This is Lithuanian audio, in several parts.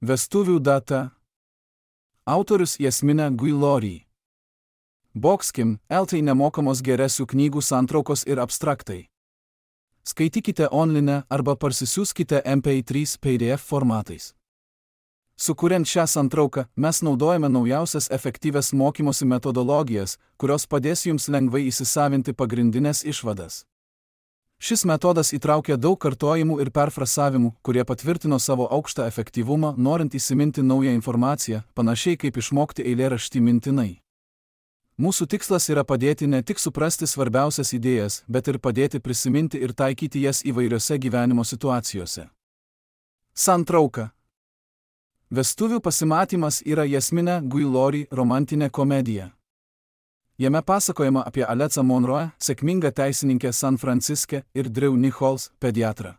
Vestuvių data. Autorius Jasmina Guillory. Boxkim, LT nemokamos geresių knygų santraukos ir abstraktai. Skaitykite online arba parsisiųskite MP3 PDF formatais. Sukuriant šią santrauką, mes naudojame naujausias efektyvias mokymosi metodologijas, kurios padės jums lengvai įsisavinti pagrindinės išvadas. Šis metodas įtraukia daug kartojimų ir perfrasavimų, kurie patvirtino savo aukštą efektyvumą, norint įsiminti naują informaciją, panašiai kaip išmokti eilėraštį mintinai. Mūsų tikslas yra padėti ne tik suprasti svarbiausias idėjas, bet ir padėti prisiminti ir taikyti jas įvairiose gyvenimo situacijose. Santrauka. Vestuvių pasimatymas yra Jasmina Guillory romantinė komedija. Jame pasakojama apie Alecą Monroe, sėkmingą teisininkę San Franciske, ir Drew Nichols, pediatrą.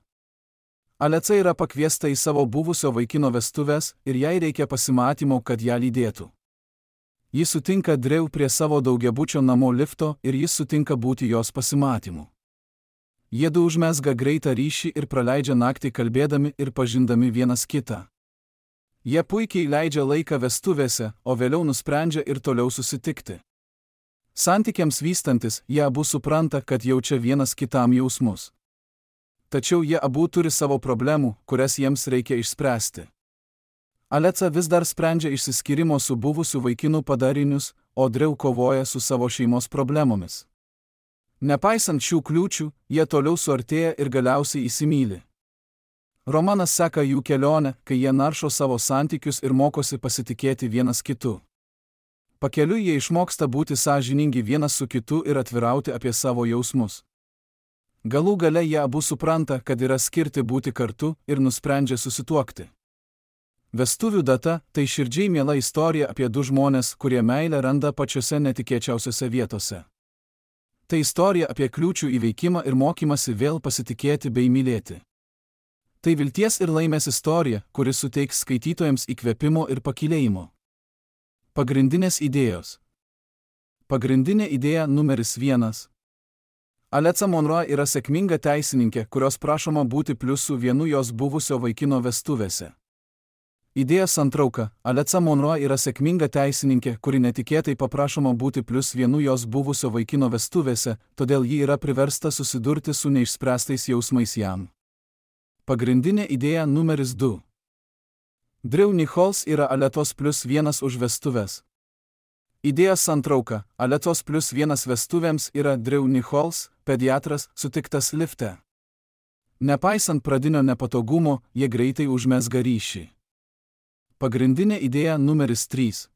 Aleca yra pakviesta į savo buvusio vaikino vestuves ir jai reikia pasimatymo, kad ją lydėtų. Ji sutinka Drew prie savo daugiabučio namo lifto ir jis sutinka būti jos pasimatymu. Jiedu užmezga greitą ryšį ir praleidžia naktį kalbėdami ir pažindami vienas kitą. Jie puikiai leidžia laiką vestuvėse, o vėliau nusprendžia ir toliau susitikti. Santykiams vystantis, jie abu supranta, kad jaučia vienas kitam jausmus. Tačiau jie abu turi savo problemų, kurias jiems reikia išspręsti. Aleca vis dar sprendžia išsiskyrimo su buvusiu vaikinu padarinius, o Drew kovoja su savo šeimos problemomis. Nepaisant šių kliūčių, jie toliau suartėja ir galiausiai įsimyli. Romanas seka jų kelionę, kai jie naršo savo santykius ir mokosi pasitikėti vienas kitu. Pakeliui jie išmoksta būti sąžiningi vienas su kitu ir atvirauti apie savo jausmus. Galų gale jie abu supranta, kad yra skirti būti kartu ir nusprendžia susituokti. Vestuvių data – tai širdžiai miela istorija apie du žmones, kurie meilę randa pačiose netikėčiausiose vietose. Tai istorija apie kliūčių įveikimą ir mokymasi vėl pasitikėti bei mylėti. Tai vilties ir laimės istorija, kuri suteiks skaitytojams įkvėpimo ir pakylėjimo. Pagrindinės idėjos. Pagrindinė idėja numeris 1. Alecą Monroe yra sėkminga teisininkė, kurios prašoma būti pliusų vienu jos buvusio vaikino vestuvėse. Idėja santrauka. Alecą Monroe yra sėkminga teisininkė, kuri netikėtai paprašoma būti plius vienu jos buvusio vaikino vestuvėse, todėl ji yra priversta susidurti su neišspręstais jausmais jam. Pagrindinė idėja numeris 2. Drew Nichols yra Aletos +1 už vestuves. Idėja santrauka. Aletos +1 vestuvėms yra Drew Nichols, pediatras, sutiktas lifte. Nepaisant pradinio nepatogumo, jie greitai užmezga ryšį. Pagrindinė idėja numeris 3.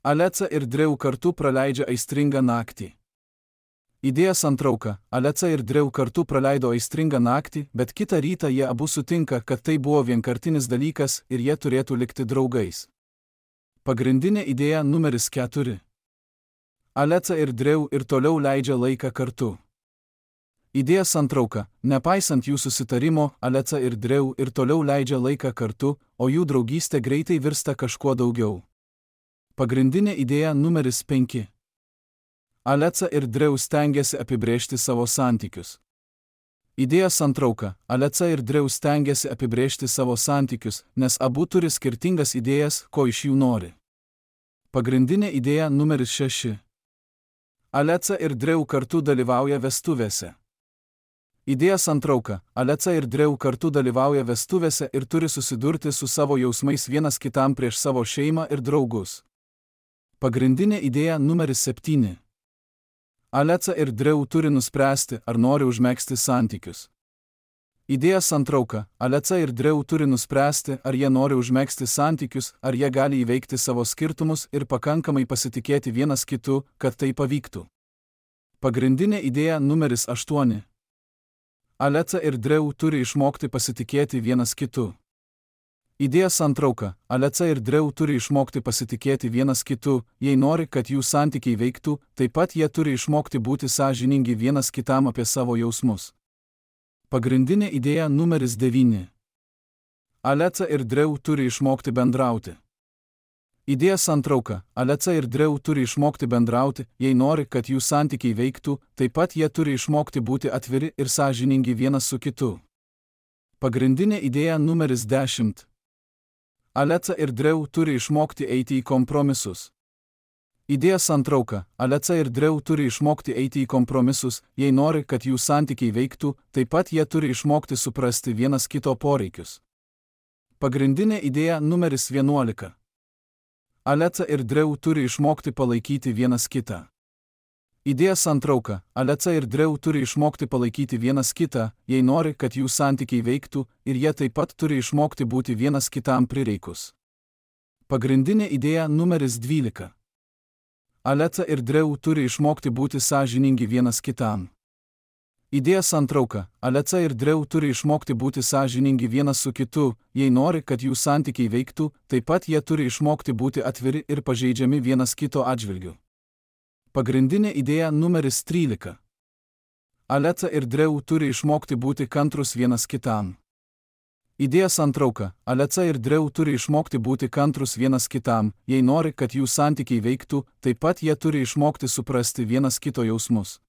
Aleca ir Drew kartu praleidžia aistringą naktį. Idėja santrauka. Aleca ir Drew kartu praleido aistringą naktį, bet kitą rytą jie abu sutinka, kad tai buvo vienkartinis dalykas ir jie turėtų likti draugais. Pagrindinė idėja numeris 4. Aleca ir Drew ir toliau leidžia laiką kartu. Idėja santrauka. Nepaisant jų susitarimo, Aleca ir Drew ir toliau leidžia laiką kartu, o jų draugystė greitai virsta kažkuo daugiau. Pagrindinė idėja numeris 5. Aleca ir Drew stengiasi apibrėžti savo santykius. Idėja santrauka. Aleca ir Drew stengiasi apibrėžti savo santykius, nes abu turi skirtingas idėjas, ko iš jų nori. Pagrindinė idėja numeris 6. Aleca ir Drew kartu dalyvauja vestuvėse. Idėja santrauka. Aleca ir Drew kartu dalyvauja vestuvėse ir turi susidurti su savo jausmais vienas kitam prieš savo šeimą ir draugus. Pagrindinė idėja numeris 7. Aleca ir Drew turi nuspręsti, ar nori užmegzti santykius. Idėja santrauka. Aleca ir Drew turi nuspręsti, ar jie nori užmegzti santykius, ar jie gali įveikti savo skirtumus ir pakankamai pasitikėti vienas kitu, kad tai pavyktų. Pagrindinė idėja numeris 8. Aleca ir Drew turi išmokti pasitikėti vienas kitu. Idėja santrauka. Aleca ir Drew turi išmokti pasitikėti vienas kitu, jei nori, kad jų santykiai veiktų, taip pat jie turi išmokti būti sąžiningi vienas kitam apie savo jausmus. Pagrindinė idėja numeris 9. Aleca ir Drew turi išmokti bendrauti. Idėja santrauka. Aleca ir Drew turi išmokti bendrauti, jei nori, kad jų santykiai veiktų, taip pat jie turi išmokti būti atviri ir sąžiningi vienas su kitu. Pagrindinė idėja numeris 10. Alexa ir Drew turi išmokti eiti į kompromisus. Idėja santrauka. Alexa ir Drew turi išmokti eiti į kompromisus, jei nori, kad jų santykiai veiktų, taip pat jie turi išmokti suprasti vienas kito poreikius. Pagrindinė idėja numeris 11. Alexa ir Drew turi išmokti palaikyti vienas kitą. Idėja santrauka. Alexa ir Drew turi išmokti palaikyti vienas kitą, jei nori, kad jų santykiai veiktų, ir jie taip pat turi išmokti būti vienas kitam prireikus. Pagrindinė idėja numeris 12. Alexa ir Drew turi išmokti būti sąžiningi vienas kitam. Idėja santrauka. Alexa ir Drew turi išmokti būti sąžiningi vienas su kitu, jei nori, kad jų santykiai veiktų, taip pat jie turi išmokti būti atviri ir pažeidžiami vienas kito atžvilgiu. Pagrindinė idėja numeris 13. Alexa ir Drew turi išmokti būti kantrus vienas kitam. Idėja santrauka. Alexa ir Drew turi išmokti būti kantrus vienas kitam, jei nori, kad jų santykiai veiktų, taip pat jie turi išmokti suprasti vienas kito jausmus.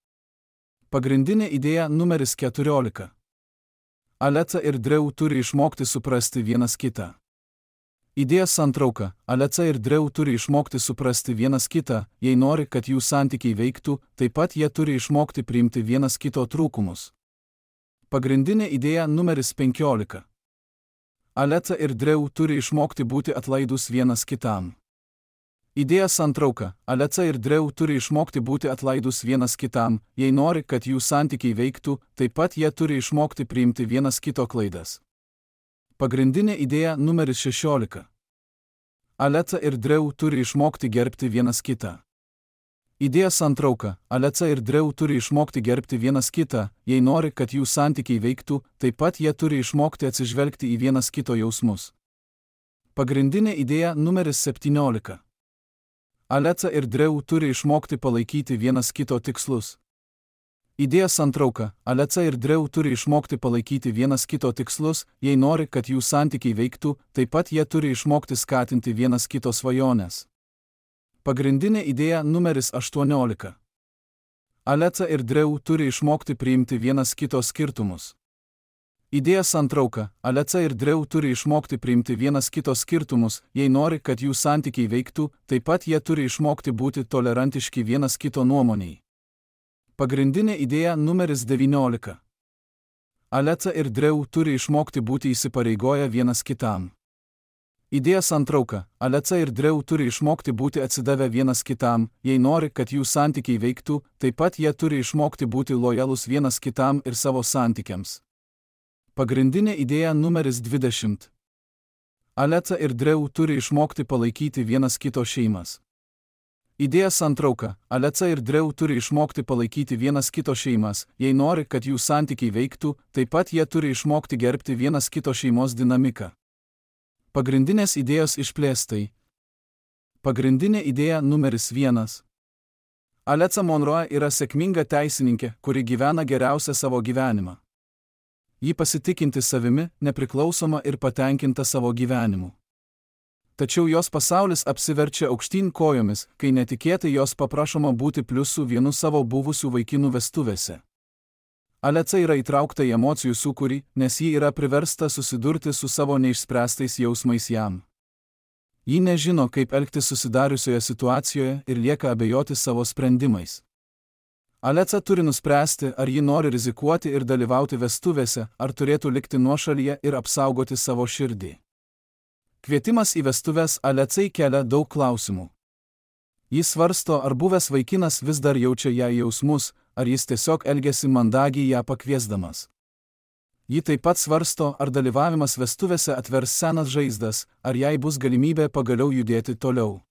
Pagrindinė idėja numeris 14. Alexa ir Drew turi išmokti suprasti vienas kitą. Idėja santrauka. Alexa ir Drew turi išmokti suprasti vienas kitą, jei nori, kad jų santykiai veiktų, taip pat jie turi išmokti priimti vienas kito trūkumus. Pagrindinė idėja numeris 15. Alexa ir Drew turi išmokti būti atlaidus vienas kitam. Idėja santrauka. Alexa ir Drew turi išmokti būti atlaidus vienas kitam, jei nori, kad jų santykiai veiktų, taip pat jie turi išmokti priimti vienas kito klaidas. Pagrindinė idėja numeris 16. Alexa ir Drew turi išmokti gerbti vienas kitą. Idėja santrauka. Alexa ir Drew turi išmokti gerbti vienas kitą, jei nori, kad jų santykiai veiktų, taip pat jie turi išmokti atsižvelgti į vienas kito jausmus. Pagrindinė idėja numeris 17. Alexa ir Drew turi išmokti palaikyti vienas kito tikslus. Idėja santrauka. Alexa ir Drew turi išmokti palaikyti vienas kito tikslus, jei nori, kad jų santykiai veiktų, taip pat jie turi išmokti skatinti vienas kito svajones. Pagrindinė idėja numeris 18. Alexa ir Drew turi išmokti priimti vienas kito skirtumus. Idėja santrauka. Alexa ir Drew turi išmokti priimti vienas kito skirtumus, jei nori, kad jų santykiai veiktų, taip pat jie turi išmokti būti tolerantiški vienas kito nuomoniai. Pagrindinė idėja numeris 19. Alexa ir Drew turi išmokti būti įsipareigoję vienas kitam. Idėja santrauka. Alexa ir Drew turi išmokti būti atsidavę vienas kitam, jei nori, kad jų santykiai veiktų, taip pat jie turi išmokti būti lojalus vienas kitam ir savo santykiams. Pagrindinė idėja numeris 20. Alexa ir Drew turi išmokti palaikyti vienas kito šeimas. Idėja santrauka. Alexa ir Drew turi išmokti palaikyti vienas kito šeimas, jei nori, kad jų santykiai veiktų, taip pat jie turi išmokti gerbti vienas kito šeimos dinamiką. Pagrindinės idėjos išplėstai. Pagrindinė idėja numeris 1. Alexa Monroe yra sėkminga teisininkė, kuri gyvena geriausią savo gyvenimą. Ji pasitikinti savimi, nepriklausoma ir patenkinta savo gyvenimu. Tačiau jos pasaulis apsiverčia aukštyn kojomis, kai netikėtai jos paprašoma būti pliusų vienu savo buvusių vaikinų vestuvėse. Alexa yra įtraukta į emocijų sūkurį, nes ji yra priversta susidurti su savo neišspręstais jausmais jam. Ji nežino, kaip elgtis susidariusioje situacijoje ir lieka abejoti savo sprendimais. Alexa turi nuspręsti, ar ji nori rizikuoti ir dalyvauti vestuvėse, ar turėtų likti nuošalyje ir apsaugoti savo širdį. Kvietimas į vestuves Alexai kelia daug klausimų. Jis svarsto, ar buvęs vaikinas vis dar jaučia jai jausmus, ar jis tiesiog elgiasi mandagiai ją pakviesdamas. Ji taip pat svarsto, ar dalyvavimas vestuvėse atvers senas žaizdas, ar jai bus galimybė pagaliau judėti toliau.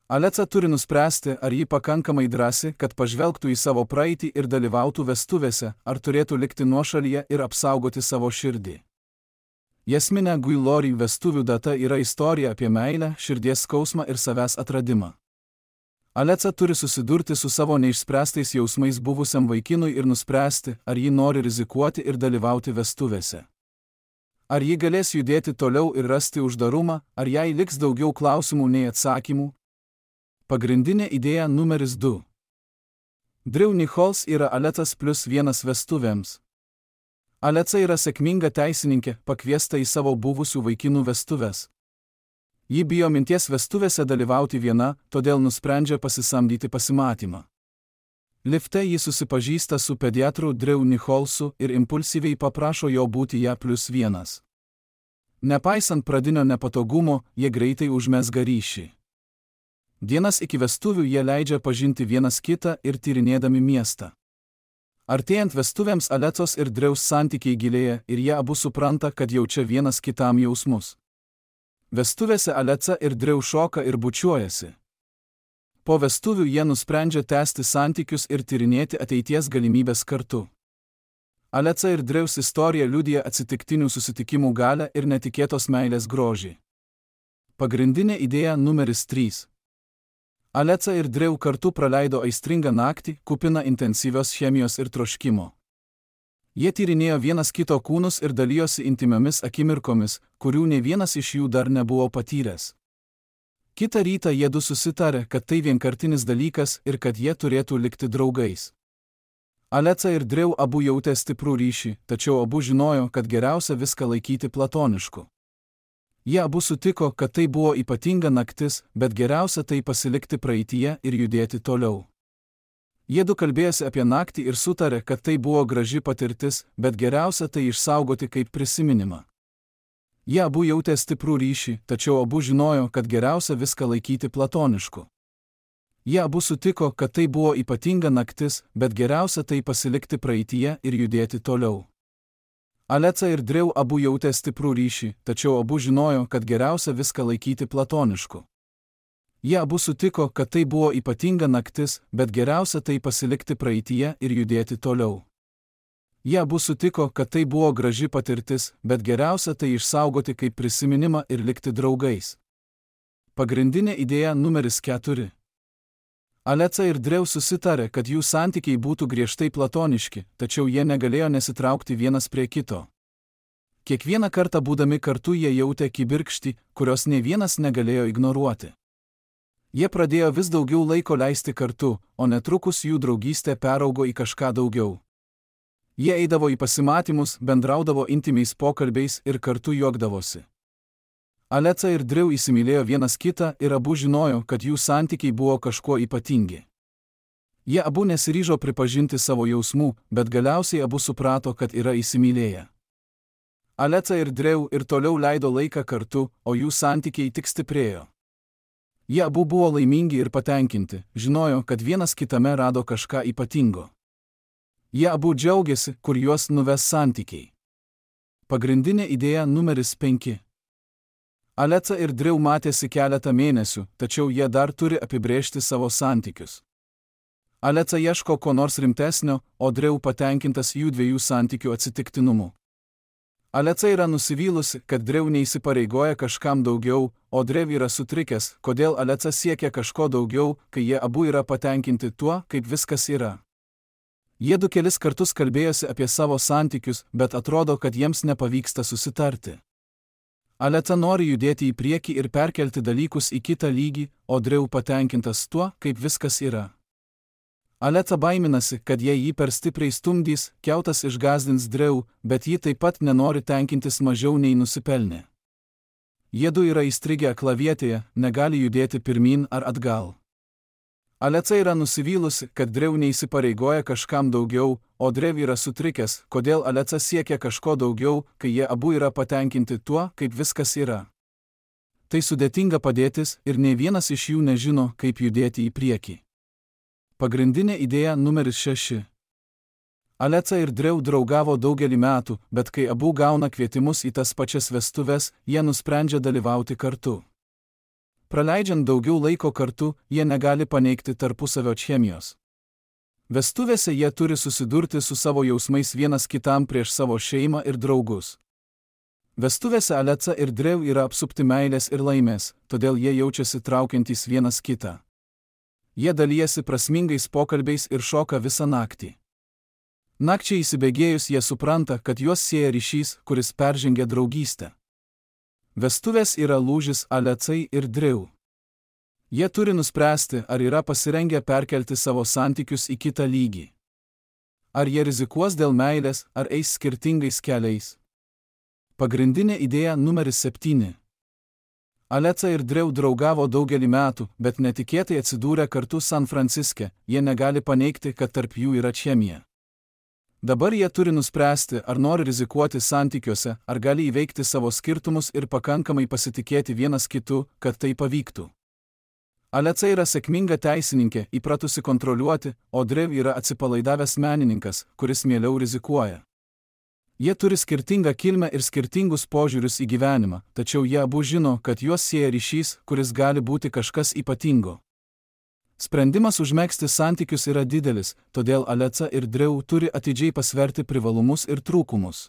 Alexa turi nuspręsti, ar ji pakankamai drąsi, kad pažvelgtų į savo praeitį ir dalyvautų vestuvėse, ar turėtų likti nuošalyje ir apsaugoti savo širdį. Jasmine Guillory vestuvių data yra istorija apie meilę, širdies skausmą ir savęs atradimą. Alexa turi susidurti su savo neišspręstais jausmais buvusiam vaikinui ir nuspręsti, ar ji nori rizikuoti ir dalyvauti vestuvėse. Ar ji galės judėti toliau ir rasti uždarumą, ar jai liks daugiau klausimų nei atsakymų? Pagrindinė idėja numeris 2. Drew Nichols yra Alexas +1 vestuvėms. Alexa yra sėkminga teisininkė, pakviesta į savo buvusių vaikinų vestuves. Ji bijo minties vestuvėse dalyvauti viena, todėl nusprendžia pasisamdyti pasimatymą. Lifte ji susipažįsta su pediatru Drew Nicholsu ir impulsyviai paprašo jo būti ją +1. Nepaisant pradinio nepatogumo, jie greitai užmezga ryšį. Dienas iki vestuvių jie leidžia pažinti vienas kitą ir tyrinėdami miestą. Artėjant vestuvėms Alecos ir Drews santykiai gilėja ir jie abu supranta, kad jaučia vienas kitam jausmus. Vestuvėse Aleca ir Drew šoka ir bučiuojasi. Po vestuvių jie nusprendžia tęsti santykius ir tyrinėti ateities galimybės kartu. Aleca ir Drews istorija liudija atsitiktinių susitikimų galią ir netikėtos meilės grožį. Pagrindinė idėja numeris 3. Aleca ir Drew kartu praleido aistringą naktį, kupiną intensyvios chemijos ir troškimo. Jie tyrinėjo vienas kito kūnus ir dalijosi intymiomis akimirkomis, kurių nei vienas iš jų dar nebuvo patyręs. Kitą rytą jiedu susitarė, kad tai vienkartinis dalykas ir kad jie turėtų likti draugais. Aleca ir Drew abu jautė stiprų ryšį, tačiau abu žinojo, kad geriausia viską laikyti platonišku. Jie abu sutiko, kad tai buvo ypatinga naktis, bet geriausia tai pasilikti praeityje ir judėti toliau. Jiedu kalbėjosi apie naktį ir sutarė, kad tai buvo graži patirtis, bet geriausia tai išsaugoti kaip prisiminimą. Jie abu jautė stiprų ryšį, tačiau abu žinojo, kad geriausia viską laikyti platonišku. Jie abu sutiko, kad tai buvo ypatinga naktis, bet geriausia tai pasilikti praeityje ir judėti toliau. Aleca ir Drew abu jautė stiprų ryšį, tačiau abu žinojo, kad geriausia viską laikyti platonišku. Jie abu sutiko, kad tai buvo ypatinga naktis, bet geriausia tai pasilikti praeityje ir judėti toliau. Jie abu sutiko, kad tai buvo graži patirtis, bet geriausia tai išsaugoti kaip prisiminimą ir likti draugais. Pagrindinė idėja numeris 4. Aleca ir Drew susitarė, kad jų santykiai būtų griežtai platoniški, tačiau jie negalėjo nesitraukti vienas prie kito. Kiekvieną kartą būdami kartu jie jautė kibirkštį, kurios nei vienas negalėjo ignoruoti. Jie pradėjo vis daugiau laiko leisti kartu, o netrukus jų draugystė peraugo į kažką daugiau. Jie eidavo į pasimatymus, bendraudavo intymiais pokalbiais ir kartu juokdavosi. Aleca ir Drew įsimylėjo vienas kitą ir abu žinojo, kad jų santykiai buvo kažkuo ypatingi. Jie abu nesiryžo pripažinti savo jausmų, bet galiausiai abu suprato, kad yra įsimylėję. Aleca ir Drew ir toliau leido laiką kartu, o jų santykiai tik stiprėjo. Jie abu buvo laimingi ir patenkinti, žinojo, kad vienas kitame rado kažką ypatingo. Jie abu džiaugiasi, kur juos nuves santykiai. Pagrindinė idėja numeris 5. Aleca ir Drew matėsi keletą mėnesių, tačiau jie dar turi apibrėžti savo santykius. Aleca ieško ko nors rimtesnio, o Drew patenkintas jų dviejų santykių atsitiktinumu. Aleca yra nusivylusi, kad Drew neįsipareigoja kažkam daugiau, o Drew yra sutrikęs, kodėl Aleca siekia kažko daugiau, kai jie abu yra patenkinti tuo, kaip viskas yra. Jiedu kelis kartus kalbėjosi apie savo santykius, bet atrodo, kad jiems nepavyksta susitarti. Aleca nori judėti į priekį ir perkelti dalykus į kitą lygį, o Drew patenkintas tuo, kaip viskas yra. Aleca baiminasi, kad jei jį per stipriai stumdys, kiautas išgąsdins Drew, bet ji taip pat nenori tenkintis mažiau nei nusipelnė. Jiedu yra įstrigę aklavietėje, negali judėti pirmyn ar atgal. Aleca yra nusivylusi, kad Drew neįsipareigoja kažkam daugiau, o Drew yra sutrikęs, kodėl Aleca siekia kažko daugiau, kai jie abu yra patenkinti tuo, kaip viskas yra. Tai sudėtinga padėtis ir nei vienas iš jų nežino, kaip judėti į priekį. Pagrindinė idėja numeris 6. Aleca ir Drew draugavo daugelį metų, bet kai abu gauna kvietimus į tas pačias vestuves, jie nusprendžia dalyvauti kartu. Praleidžiant daugiau laiko kartu, jie negali paneigti tarpusavio chemijos. Vestuvėse jie turi susidurti su savo jausmais vienas kitam prieš savo šeimą ir draugus. Vestuvėse Aleca ir Drew yra apsupti meilės ir laimės, todėl jie jaučiasi traukiantys vienas kitą. Jie dalijasi prasmingais pokalbiais ir šoka visą naktį. Nakčiai įsibėgėjus jie supranta, kad juos sieja ryšys, kuris peržengia draugystę. Vestuvės yra lūžis Alecai ir Drew. Jie turi nuspręsti, ar yra pasirengę perkelti savo santykius į kitą lygį. Ar jie rizikuos dėl meilės, ar eis skirtingais keliais. Pagrindinė idėja numeris 7. Alexa ir Drew draugavo daugelį metų, bet netikėtai atsidūrė kartu San Franciske, jie negali paneigti, kad tarp jų yra chemija. Dabar jie turi nuspręsti, ar nori rizikuoti santykiuose, ar gali įveikti savo skirtumus ir pakankamai pasitikėti vienas kitu, kad tai pavyktų. Alexa yra sėkminga teisininkė, įpratusi kontroliuoti, o Drew yra atsipalaidavęs menininkas, kuris mieliau rizikuoja. Jie turi skirtingą kilmę ir skirtingus požiūrius į gyvenimą, tačiau jie abu žino, kad juos sieja ryšys, kuris gali būti kažkas ypatingo. Sprendimas užmegzti santykius yra didelis, todėl Alexa ir Drew turi atidžiai pasverti privalumus ir trūkumus.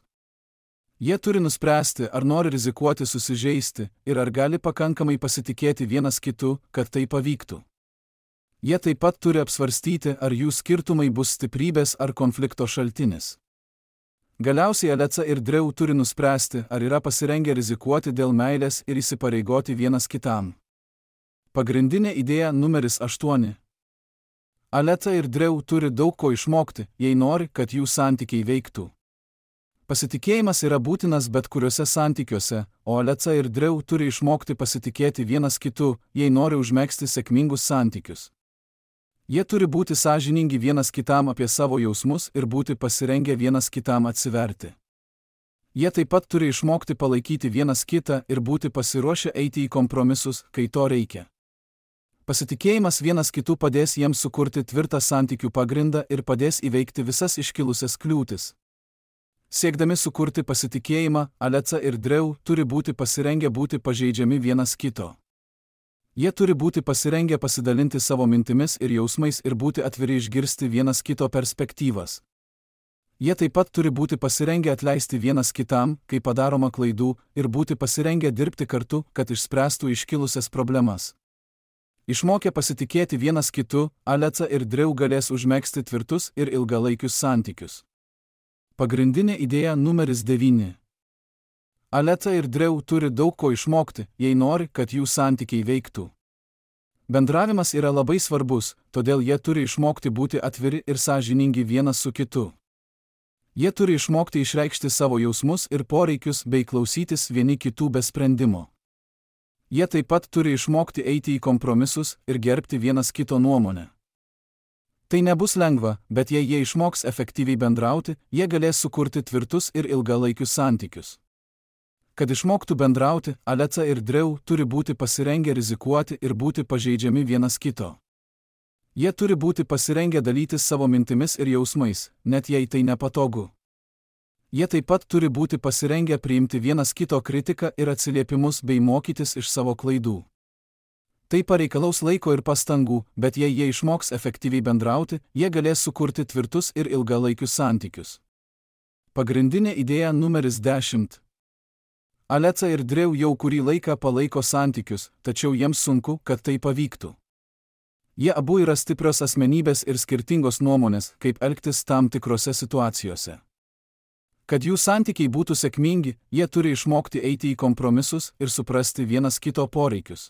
Jie turi nuspręsti, ar nori rizikuoti susižeisti ir ar gali pakankamai pasitikėti vienas kitu, kad tai pavyktų. Jie taip pat turi apsvarstyti, ar jų skirtumai bus stiprybės ar konflikto šaltinis. Galiausiai Alexa ir Drew turi nuspręsti, ar yra pasirengę rizikuoti dėl meilės ir įsipareigoti vienas kitam. Pagrindinė idėja numeris 8. Alexa ir Drew turi daug ko išmokti, jei nori, kad jų santykiai veiktų. Pasitikėjimas yra būtinas bet kuriuose santykiuose, o Alexa ir Drew turi išmokti pasitikėti vienas kitu, jei nori užmegzti sėkmingus santykius. Jie turi būti sąžiningi vienas kitam apie savo jausmus ir būti pasirengę vienas kitam atsiverti. Jie taip pat turi išmokti palaikyti vienas kitą ir būti pasiruošę eiti į kompromisus, kai to reikia. Pasitikėjimas vienas kitu padės jiems sukurti tvirtą santykių pagrindą ir padės įveikti visas iškilusias kliūtis. Siekdami sukurti pasitikėjimą, Alexa ir Drew turi būti pasirengę būti pažeidžiami vienas kito. Jie turi būti pasirengę pasidalinti savo mintimis ir jausmais ir būti atviri išgirsti vienas kito perspektyvas. Jie taip pat turi būti pasirengę atleisti vienas kitam, kai padaroma klaidų, ir būti pasirengę dirbti kartu, kad išspręstų iškilusias problemas. Išmokę pasitikėti vienas kitu, Alexa ir Drew galės užmegzti tvirtus ir ilgalaikius santykius. Pagrindinė idėja numeris 9. Alexa ir Drew turi daug ko išmokti, jei nori, kad jų santykiai veiktų. Bendravimas yra labai svarbus, todėl jie turi išmokti būti atviri ir sąžiningi vienas su kitu. Jie turi išmokti išreikšti savo jausmus ir poreikius bei klausytis vieni kitų be sprendimo. Jie taip pat turi išmokti eiti į kompromisus ir gerbti vienas kito nuomonę. Tai nebus lengva, bet jei jie išmoks efektyviai bendrauti, jie galės sukurti tvirtus ir ilgalaikius santykius. Kad išmoktų bendrauti, Alexa ir Drew turi būti pasirengę rizikuoti ir būti pažeidžiami vienas kito. Jie turi būti pasirengę dalytis savo mintimis ir jausmais, net jei tai nepatogu. Jie taip pat turi būti pasirengę priimti vienas kito kritiką ir atsiliepimus bei mokytis iš savo klaidų. Tai pareikalaus laiko ir pastangų, bet jei jie išmoks efektyviai bendrauti, jie galės sukurti tvirtus ir ilgalaikius santykius. Pagrindinė idėja numeris 10. Alexa ir Drew jau kurį laiką palaiko santykius, tačiau jiems sunku, kad tai pavyktų. Jie abu yra stiprios asmenybės ir skirtingos nuomonės, kaip elgtis tam tikrose situacijose. Kad jų santykiai būtų sėkmingi, jie turi išmokti eiti į kompromisus ir suprasti vienas kito poreikius.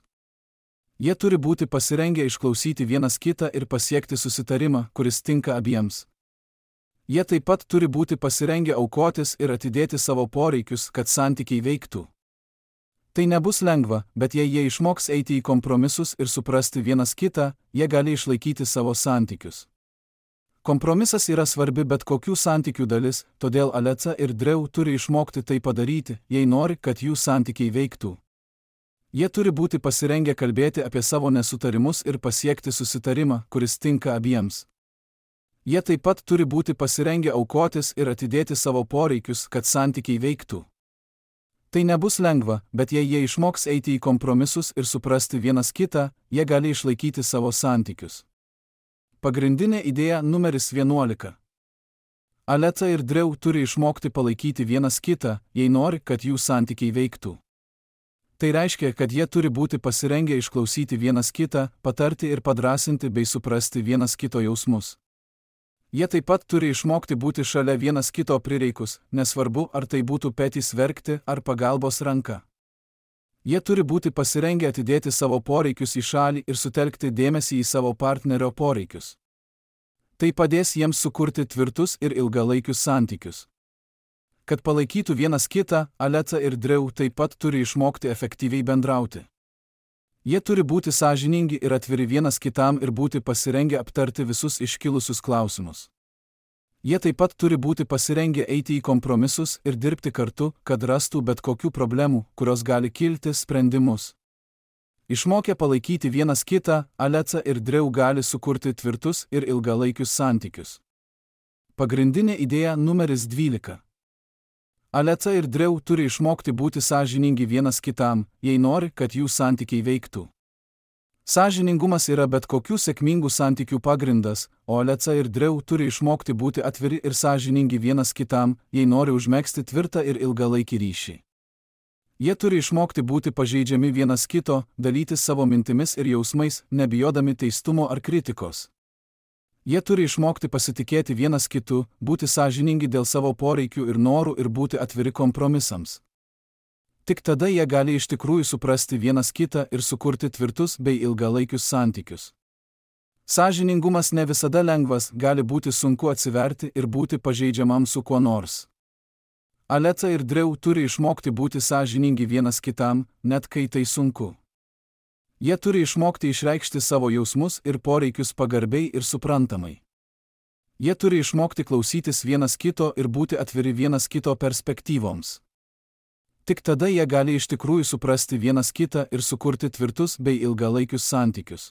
Jie turi būti pasirengę išklausyti vienas kitą ir pasiekti susitarimą, kuris tinka abiems. Jie taip pat turi būti pasirengę aukotis ir atidėti savo poreikius, kad santykiai veiktų. Tai nebus lengva, bet jei jie išmoks eiti į kompromisus ir suprasti vienas kitą, jie gali išlaikyti savo santykius. Kompromisas yra svarbi bet kokių santykių dalis, todėl Alexa ir Drew turi išmokti tai padaryti, jei nori, kad jų santykiai veiktų. Jie turi būti pasirengę kalbėti apie savo nesutarimus ir pasiekti susitarimą, kuris tinka abiems. Jie taip pat turi būti pasirengę aukotis ir atidėti savo poreikius, kad santykiai veiktų. Tai nebus lengva, bet jei jie išmoks eiti į kompromisus ir suprasti vienas kitą, jie gali išlaikyti savo santykius. Pagrindinė idėja numeris 11. Alexa ir Drew turi išmokti palaikyti vienas kitą, jei nori, kad jų santykiai veiktų. Tai reiškia, kad jie turi būti pasirengę išklausyti vienas kitą, patarti ir padrąsinti bei suprasti vienas kito jausmus. Jie taip pat turi išmokti būti šalia vienas kito prireikus, nesvarbu, ar tai būtų petys verkti ar pagalbos ranka. Jie turi būti pasirengę atidėti savo poreikius į šalį ir sutelkti dėmesį į savo partnerio poreikius. Tai padės jiems sukurti tvirtus ir ilgalaikius santykius. Kad palaikytų vienas kitą, Alexa ir Drew taip pat turi išmokti efektyviai bendrauti. Jie turi būti sąžiningi ir atviri vienas kitam ir būti pasirengę aptarti visus iškilusius klausimus. Jie taip pat turi būti pasirengę eiti į kompromisus ir dirbti kartu, kad rastų bet kokių problemų, kurios gali kilti, sprendimus. Išmokę palaikyti vienas kitą, Alexa ir Drew gali sukurti tvirtus ir ilgalaikius santykius. Pagrindinė idėja numeris 12. Alexa ir Drew turi išmokti būti sąžiningi vienas kitam, jei nori, kad jų santykiai veiktų. Sąžiningumas yra bet kokių sėkmingų santykių pagrindas, o Alexa ir Drew turi išmokti būti atviri ir sąžiningi vienas kitam, jei nori užmegzti tvirtą ir ilgalaikį ryšį. Jie turi išmokti būti pažeidžiami vienas kito, dalytis savo mintimis ir jausmais, nebijodami teistumo ar kritikos. Jie turi išmokti pasitikėti vienas kitu, būti sąžiningi dėl savo poreikių ir norų ir būti atviri kompromisams. Tik tada jie gali iš tikrųjų suprasti vienas kitą ir sukurti tvirtus bei ilgalaikius santykius. Sąžiningumas ne visada lengvas, gali būti sunku atsiverti ir būti pažeidžiamam su kuo nors. Alexa ir Drew turi išmokti būti sąžiningi vienas kitam, net kai tai sunku. Jie turi išmokti išreikšti savo jausmus ir poreikius pagarbiai ir suprantamai. Jie turi išmokti klausytis vienas kito ir būti atviri vienas kito perspektyvoms. Tik tada jie gali iš tikrųjų suprasti vienas kitą ir sukurti tvirtus bei ilgalaikius santykius.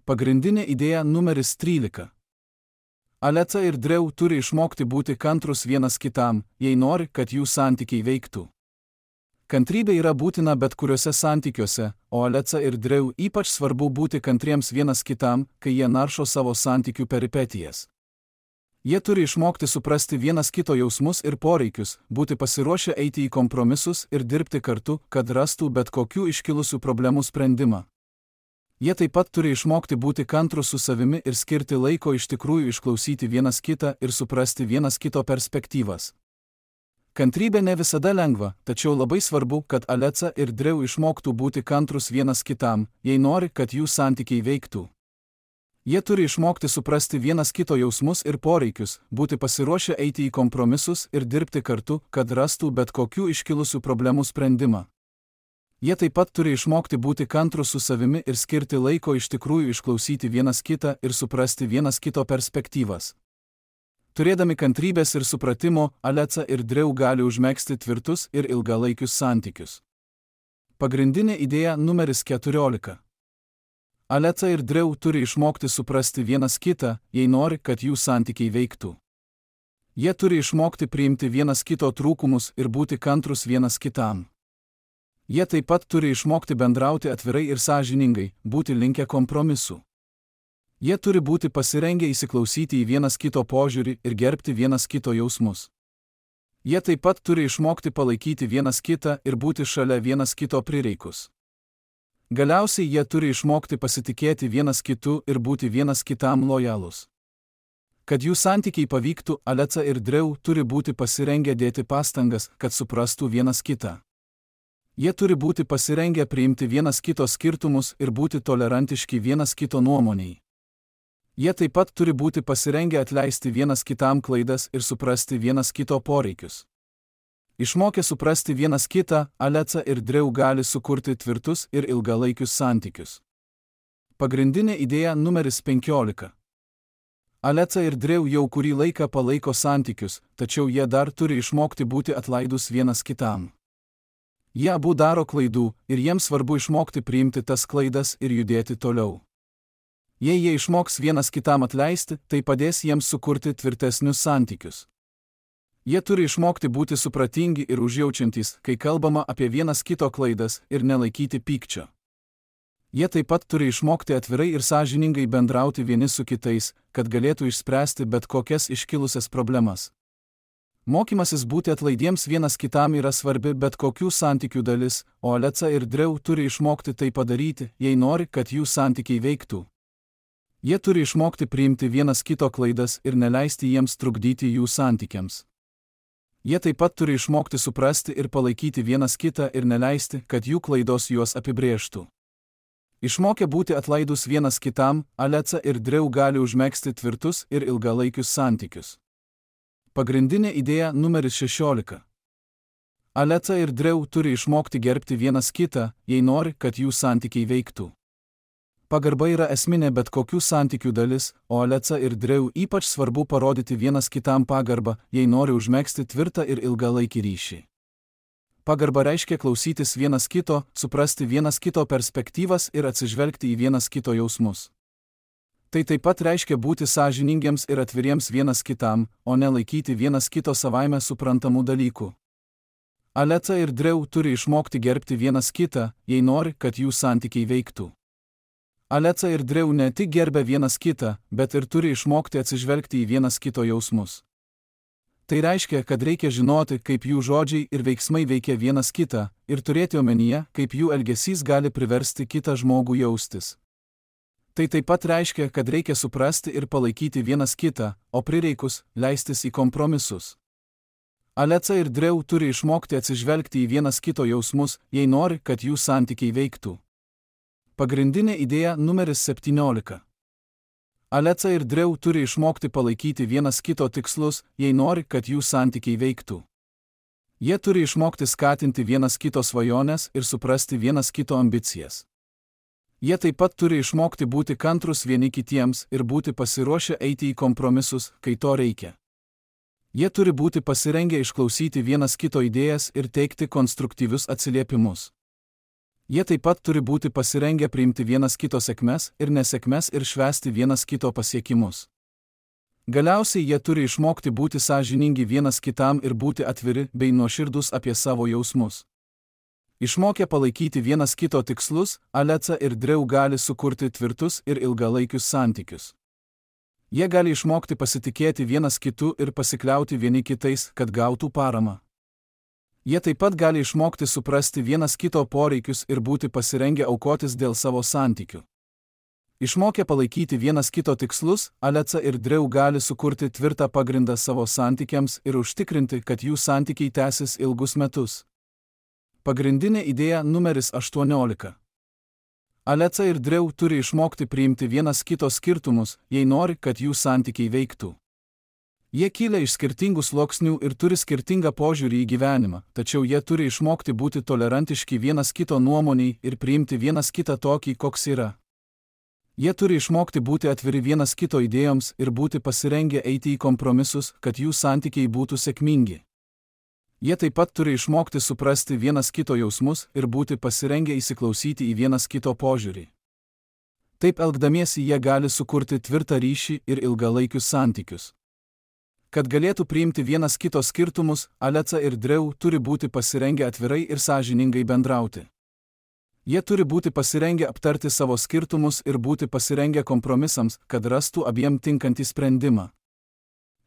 Pagrindinė idėja numeris 13. Alexa ir Drew turi išmokti būti kantrus vienas kitam, jei nori, kad jų santykiai veiktų. Kantrybė yra būtina bet kuriuose santykiuose, o Alexa ir Drew ypač svarbu būti kantriems vienas kitam, kai jie naršo savo santykių peripetijas. Jie turi išmokti suprasti vienas kito jausmus ir poreikius, būti pasiruošę eiti į kompromisus ir dirbti kartu, kad rastų bet kokių iškilusių problemų sprendimą. Jie taip pat turi išmokti būti kantrus su savimi ir skirti laiko iš tikrųjų išklausyti vienas kitą ir suprasti vienas kito perspektyvas. Kantrybė ne visada lengva, tačiau labai svarbu, kad Alexa ir Drew išmoktų būti kantrus vienas kitam, jei nori, kad jų santykiai veiktų. Jie turi išmokti suprasti vienas kito jausmus ir poreikius, būti pasiruošę eiti į kompromisus ir dirbti kartu, kad rastų bet kokių iškilusių problemų sprendimą. Jie taip pat turi išmokti būti kantrus su savimi ir skirti laiko iš tikrųjų išklausyti vienas kitą ir suprasti vienas kito perspektyvas. Turėdami kantrybės ir supratimo, Alexa ir Drew gali užmegzti tvirtus ir ilgalaikius santykius. Pagrindinė idėja numeris 14. Alexa ir Drew turi išmokti suprasti vienas kitą, jei nori, kad jų santykiai veiktų. Jie turi išmokti priimti vienas kito trūkumus ir būti kantrus vienas kitam. Jie taip pat turi išmokti bendrauti atvirai ir sąžiningai, būti linkę kompromisų. Jie turi būti pasirengę įsiklausyti į vienas kito požiūrį ir gerbti vienas kito jausmus. Jie taip pat turi išmokti palaikyti vienas kitą ir būti šalia vienas kito prireikus. Galiausiai jie turi išmokti pasitikėti vienas kitu ir būti vienas kitam lojalus. Kad jų santykiai pavyktų, Alexa ir Drew turi būti pasirengę dėti pastangas, kad suprastų vienas kitą. Jie turi būti pasirengę priimti vienas kito skirtumus ir būti tolerantiški vienas kito nuomoniai. Jie taip pat turi būti pasirengę atleisti vienas kitam klaidas ir suprasti vienas kito poreikius. Išmokę suprasti vienas kitą, Alexa ir Drew gali sukurti tvirtus ir ilgalaikius santykius. Pagrindinė idėja numeris 15. Alexa ir Drew jau kurį laiką palaiko santykius, tačiau jie dar turi išmokti būti atlaidus vienas kitam. Jie abu daro klaidų ir jiems svarbu išmokti priimti tas klaidas ir judėti toliau. Jei jie išmoks vienas kitam atleisti, tai padės jiems sukurti tvirtesnius santykius. Jie turi išmokti būti supratingi ir užjaučiantys, kai kalbama apie vienas kito klaidas ir nelaikyti pykčio. Jie taip pat turi išmokti atvirai ir sąžiningai bendrauti vieni su kitais, kad galėtų išspręsti bet kokias iškilusias problemas. Mokymasis būti atlaidiems vienas kitam yra svarbi bet kokių santykių dalis, o Alexa ir Drew turi išmokti tai padaryti, jei nori, kad jų santykiai veiktų. Jie turi išmokti priimti vienas kito klaidas ir neleisti jiems trukdyti jų santykiams. Jie taip pat turi išmokti suprasti ir palaikyti vienas kitą ir neleisti, kad jų klaidos juos apibrėžtų. Išmokę būti atlaidus vienas kitam, Alexa ir Drew gali užmegzti tvirtus ir ilgalaikius santykius. Pagrindinė idėja numeris 16. Aleta ir Dreu turi išmokti gerbti vienas kitą, jei nori, kad jų santykiai veiktų. Pagarba yra esminė bet kokių santykių dalis, o Aleta ir Dreu ypač svarbu parodyti vienas kitam pagarbą, jei nori užmegzti tvirtą ir ilgalaikį ryšį. Pagarba reiškia klausytis vienas kito, suprasti vienas kito perspektyvas ir atsižvelgti į vienas kito jausmus. Tai taip pat reiškia būti sąžiningiems ir atviriems vienas kitam, o ne laikyti vienas kito savaime suprantamų dalykų. Aleta ir Dreu turi išmokti gerbti vienas kitą, jei nori, kad jų santykiai veiktų. Aleta ir Dreu ne tik gerbia vienas kitą, bet ir turi išmokti atsižvelgti į vienas kito jausmus. Tai reiškia, kad reikia žinoti, kaip jų žodžiai ir veiksmai veikia vienas kitą, ir turėti omenyje, kaip jų elgesys gali priversti kitą žmogų jaustis. Tai taip pat reiškia, kad reikia suprasti ir palaikyti vienas kitą, o prireikus leistis į kompromisus. Aleta ir Dreu turi išmokti atsižvelgti į vienas kito jausmus, jei nori, kad jų santykiai veiktų. Pagrindinė idėja numeris 17. Aleta ir Dreu turi išmokti palaikyti vienas kito tikslus, jei nori, kad jų santykiai veiktų. Jie turi išmokti skatinti vienas kito svajones ir suprasti vienas kito ambicijas. Jie taip pat turi išmokti būti kantrus vieni kitiems ir būti pasiruošę eiti į kompromisus, kai to reikia. Jie turi būti pasirengę išklausyti vienas kito idėjas ir teikti konstruktyvius atsiliepimus. Jie taip pat turi būti pasirengę priimti vienas kito sėkmes ir nesėkmes ir švęsti vienas kito pasiekimus. Galiausiai jie turi išmokti būti sąžiningi vienas kitam ir būti atviri bei nuoširdūs apie savo jausmus. Išmokę palaikyti vienas kito tikslus, Aleta ir Dreu gali sukurti tvirtus ir ilgalaikius santykius. Jie gali išmokti pasitikėti vienas kitu ir pasikliauti vieni kitais, kad gautų paramą. Jie taip pat gali išmokti suprasti vienas kito poreikius ir būti pasirengę aukotis dėl savo santykių. Išmokę palaikyti vienas kito tikslus, Aleta ir Dreu gali sukurti tvirtą pagrindą savo santykiams ir užtikrinti, kad jų santykiai tęsis ilgus metus. Pagrindinė idėja numeris 18. Aleta ir Dreu turi išmokti priimti vienas kito skirtumus, jei nori, kad jų santykiai veiktų. Jie kyla iš skirtingų sluoksnių ir turi skirtingą požiūrį į gyvenimą, tačiau jie turi išmokti būti tolerantiški vienas kito nuomoniai ir priimti vienas kitą tokį, koks yra. Jie turi išmokti būti atviri vienas kito idėjoms ir būti pasirengę eiti į kompromisus, kad jų santykiai būtų sėkmingi. Jie taip pat turi išmokti suprasti vienas kito jausmus ir būti pasirengę įsiklausyti į vienas kito požiūrį. Taip elgdamiesi jie gali sukurti tvirtą ryšį ir ilgalaikius santykius. Kad galėtų priimti vienas kito skirtumus, Aleta ir Dreu turi būti pasirengę atvirai ir sąžiningai bendrauti. Jie turi būti pasirengę aptarti savo skirtumus ir būti pasirengę kompromisams, kad rastų abiem tinkantį sprendimą.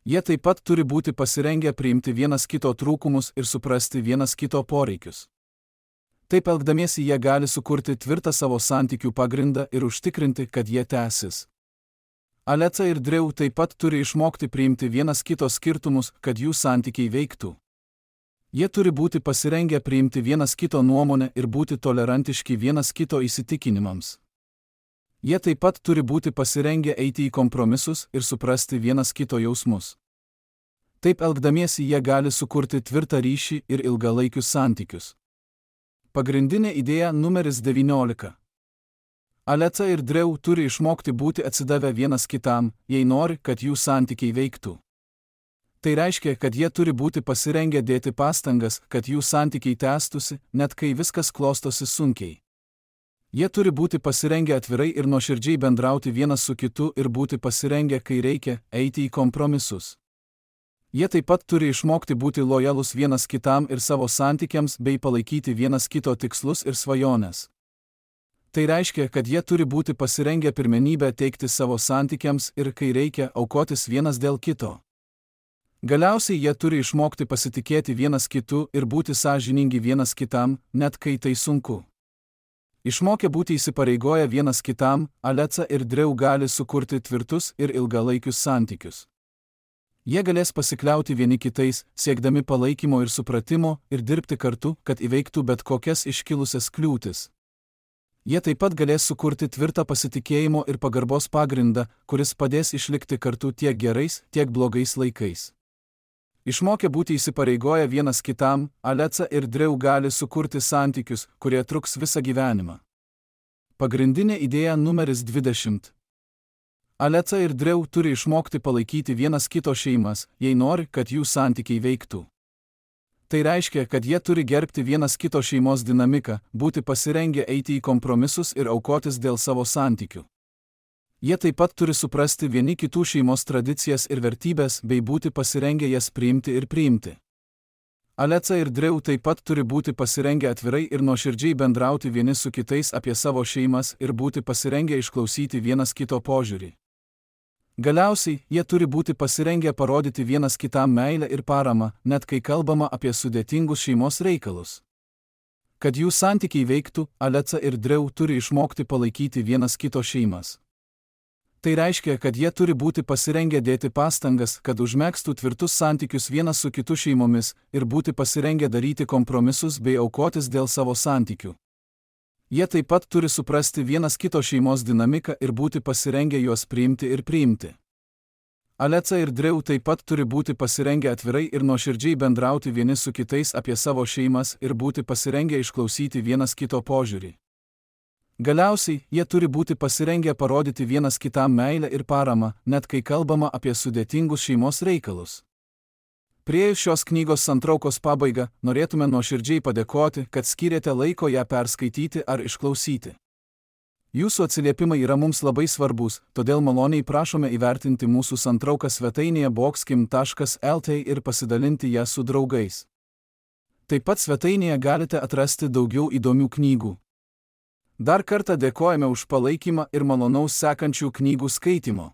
Jie taip pat turi būti pasirengę priimti vienas kito trūkumus ir suprasti vienas kito poreikius. Taip elgdamiesi jie gali sukurti tvirtą savo santykių pagrindą ir užtikrinti, kad jie tęsis. Aleta ir Dreu taip pat turi išmokti priimti vienas kito skirtumus, kad jų santykiai veiktų. Jie turi būti pasirengę priimti vienas kito nuomonę ir būti tolerantiški vienas kito įsitikinimams. Jie taip pat turi būti pasirengę eiti į kompromisus ir suprasti vienas kito jausmus. Taip elgdamiesi jie gali sukurti tvirtą ryšį ir ilgalaikius santykius. Pagrindinė idėja numeris 19. Aleta ir Dreu turi išmokti būti atsidavę vienas kitam, jei nori, kad jų santykiai veiktų. Tai reiškia, kad jie turi būti pasirengę dėti pastangas, kad jų santykiai tęstųsi, net kai viskas klostosi sunkiai. Jie turi būti pasirengę atvirai ir nuoširdžiai bendrauti vienas su kitu ir būti pasirengę, kai reikia, eiti į kompromisus. Jie taip pat turi išmokti būti lojalus vienas kitam ir savo santykiams bei palaikyti vienas kito tikslus ir svajones. Tai reiškia, kad jie turi būti pasirengę pirmenybę teikti savo santykiams ir, kai reikia, aukotis vienas dėl kito. Galiausiai jie turi išmokti pasitikėti vienas kitu ir būti sąžiningi vienas kitam, net kai tai sunku. Išmokę būti įsipareigoję vienas kitam, Aleta ir Dreu gali sukurti tvirtus ir ilgalaikius santykius. Jie galės pasikliauti vieni kitais, siekdami palaikymo ir supratimo ir dirbti kartu, kad įveiktų bet kokias iškilusias kliūtis. Jie taip pat galės sukurti tvirtą pasitikėjimo ir pagarbos pagrindą, kuris padės išlikti kartu tiek gerais, tiek blogais laikais. Išmokę būti įsipareigoję vienas kitam, Alexa ir Drew gali sukurti santykius, kurie truks visą gyvenimą. Pagrindinė idėja numeris 20. Alexa ir Drew turi išmokti palaikyti vienas kito šeimas, jei nori, kad jų santykiai veiktų. Tai reiškia, kad jie turi gerbti vienas kito šeimos dinamiką, būti pasirengę eiti į kompromisus ir aukotis dėl savo santykių. Jie taip pat turi suprasti vieni kitų šeimos tradicijas ir vertybės bei būti pasirengę jas priimti ir priimti. Alexa ir Drew taip pat turi būti pasirengę atvirai ir nuoširdžiai bendrauti vieni su kitais apie savo šeimas ir būti pasirengę išklausyti vienas kito požiūrį. Galiausiai, jie turi būti pasirengę parodyti vienas kitam meilę ir paramą, net kai kalbama apie sudėtingus šeimos reikalus. Kad jų santykiai veiktų, Alexa ir Drew turi išmokti palaikyti vienas kito šeimas. Tai reiškia, kad jie turi būti pasirengę dėti pastangas, kad užmegztų tvirtus santykius vienas su kitu šeimomis ir būti pasirengę daryti kompromisus bei aukotis dėl savo santykių. Jie taip pat turi suprasti vienas kito šeimos dinamiką ir būti pasirengę juos priimti ir priimti. Alexa ir Drew taip pat turi būti pasirengę atvirai ir nuoširdžiai bendrauti vieni su kitais apie savo šeimas ir būti pasirengę išklausyti vienas kito požiūrį. Galiausiai, jie turi būti pasirengę parodyti vienas kitam meilę ir paramą, net kai kalbama apie sudėtingus šeimos reikalus. Priėjus šios knygos santraukos pabaigą, norėtume nuoširdžiai padėkoti, kad skyrėte laiko ją perskaityti ar išklausyti. Jūsų atsiliepimai yra mums labai svarbus, todėl maloniai prašome įvertinti mūsų santrauką svetainėje boxkim.lt ir pasidalinti ją su draugais. Taip pat svetainėje galite atrasti daugiau įdomių knygų. Dar kartą dėkojame už palaikymą ir malonaus sekančių knygų skaitimo.